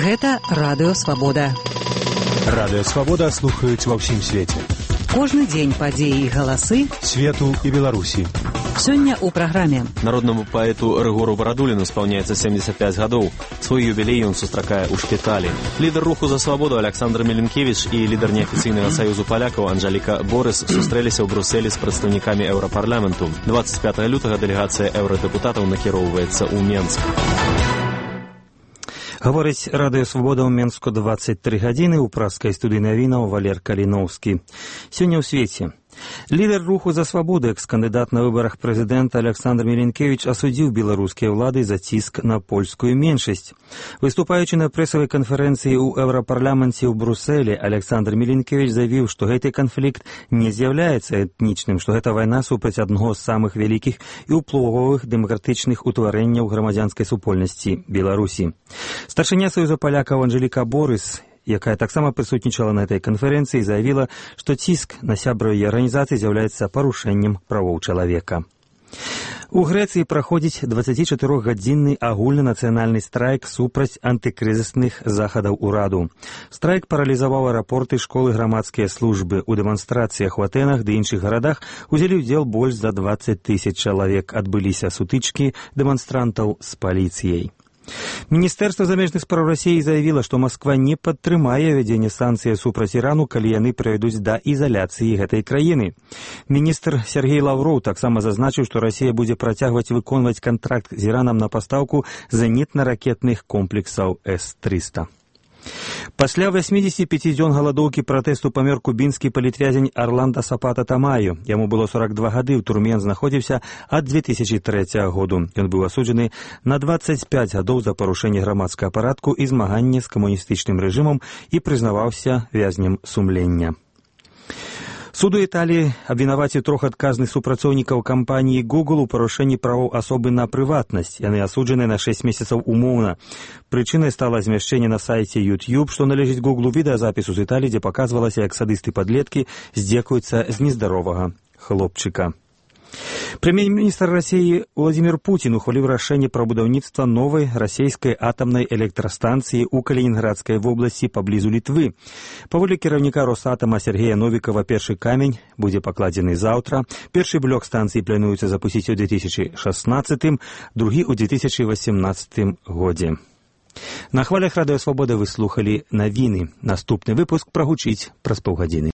Гэта Радыё Свабода. Радыё Свабода слухаюць ва ўсім свеце. Кожны дзень падзеі і галасы свету і Беларусі. Сёння ў праграме. Народнаму паэту Рыгору Барадуліну спаўняецца 75 гадоў. Свой юбілей ён сустракае ў шпіталі. Лідар руху за свабоду Александр Меленкевіч і лідар неафіцыйнага саюзу палякаў Анжаліка Борыс сустрэліся ў Брусэлі з прадстаўнікамі Еўрапарламенту. 25 лютага дэлегацыя еўрадэпутатаў накіроўваецца ў Менск. Гаворыць Радыё Свабода ў Менску 23 гадзіны ў праскай студыі навінаў Валер Каліноўскі. Сёння ў свеце. Лідар руху за свабоду, экс-кандыдат на выбарах прэзідэнта Александр Меленкевіч асудзіў беларускія ўлады за ціск на польскую меншасць. Выступаючы на прэсавай канферэнцыі ў Еўрапарламенце ў Брусэлі, Александр Меленкевіч заявіў, што гэты канфлікт не з'яўляецца этнічным, што гэта вайна супраць аднаго з самых вялікіх і ўплывовых дэмакратычных утварэнняў грамадзянскай супольнасці Беларусі. Старшыня саюза палякаў Анжаліка Борыс, якая таксама прысутнічала на этой канферэнцыі, заявіла, што ціск на сябраў яе арганізацыі з'яўляецца парушэннем правоў чалавека. У Грэцыі праходзіць 24-гадзінны агульнанацыянальны страйк супраць антыкрызісных захадаў ураду. Страйк паралізаваў аэрапорты, школы, грамадскія службы. У дэманстрацыях у Атэнах ды іншых гарадах узялі ўдзел больш за 20 000 чалавек. Адбыліся сутычкі дэманстрантаў з паліцыяй. Міністэрства замежных спраў Расіі заявіла, што Масква не падтрымае вядзенне санкцый супраць Ірану, калі яны прывядуць да ізаляцыі гэтай краіны. Міністр Сергей Лаўроў таксама зазначыў, што Расія будзе працягваць выконваць кантракт з Іранам на пастаўку зенітна-ракетных комплексаў С-300. Пасля 85 дзён галадоўкі пратэсту памёр кубінскі палітвязень Арландо Сапата Тамаю. Яму было 42 гады, ў турме ён знаходзіўся ад 2003 году. Ён быў асуджаны на 25 гадоў за парушэнне грамадскага парадку і змаганне з камуністычным рэжымам і прызнаваўся вязнем сумлення. Суд у Італіі абвінаваціў 3 адказных супрацоўнікаў кампаніі Google у парушэнні правоў асобы на прыватнасць. Яны асуджаны на 6 месяцаў умоўна. Прычынай стала змяшчэнне на сайце YouTube, што належыць Google, відэазапісу з Італіі, дзе паказвалася, як садысты-падлеткі здзекуюцца з нездаровага хлопчыка. Прэм'ер-міністр Расіі Владзімір Пуцін ухваліў рашэнне пра будаўніцтва новай расійскай атамнай электрастанцыі ў Калінінградскай вобласці паблізу Літвы. Паводле кіраўніка Росатама Сергея Новікава, першы камень будзе пакладзены заўтра. Першы блок станцыі плануецца запусціць у 2016, другі ў 2018 годзе. На хвалях Радыё Свабода вы слухалі навіны. Наступны выпуск прагучыць праз паўгадзіны.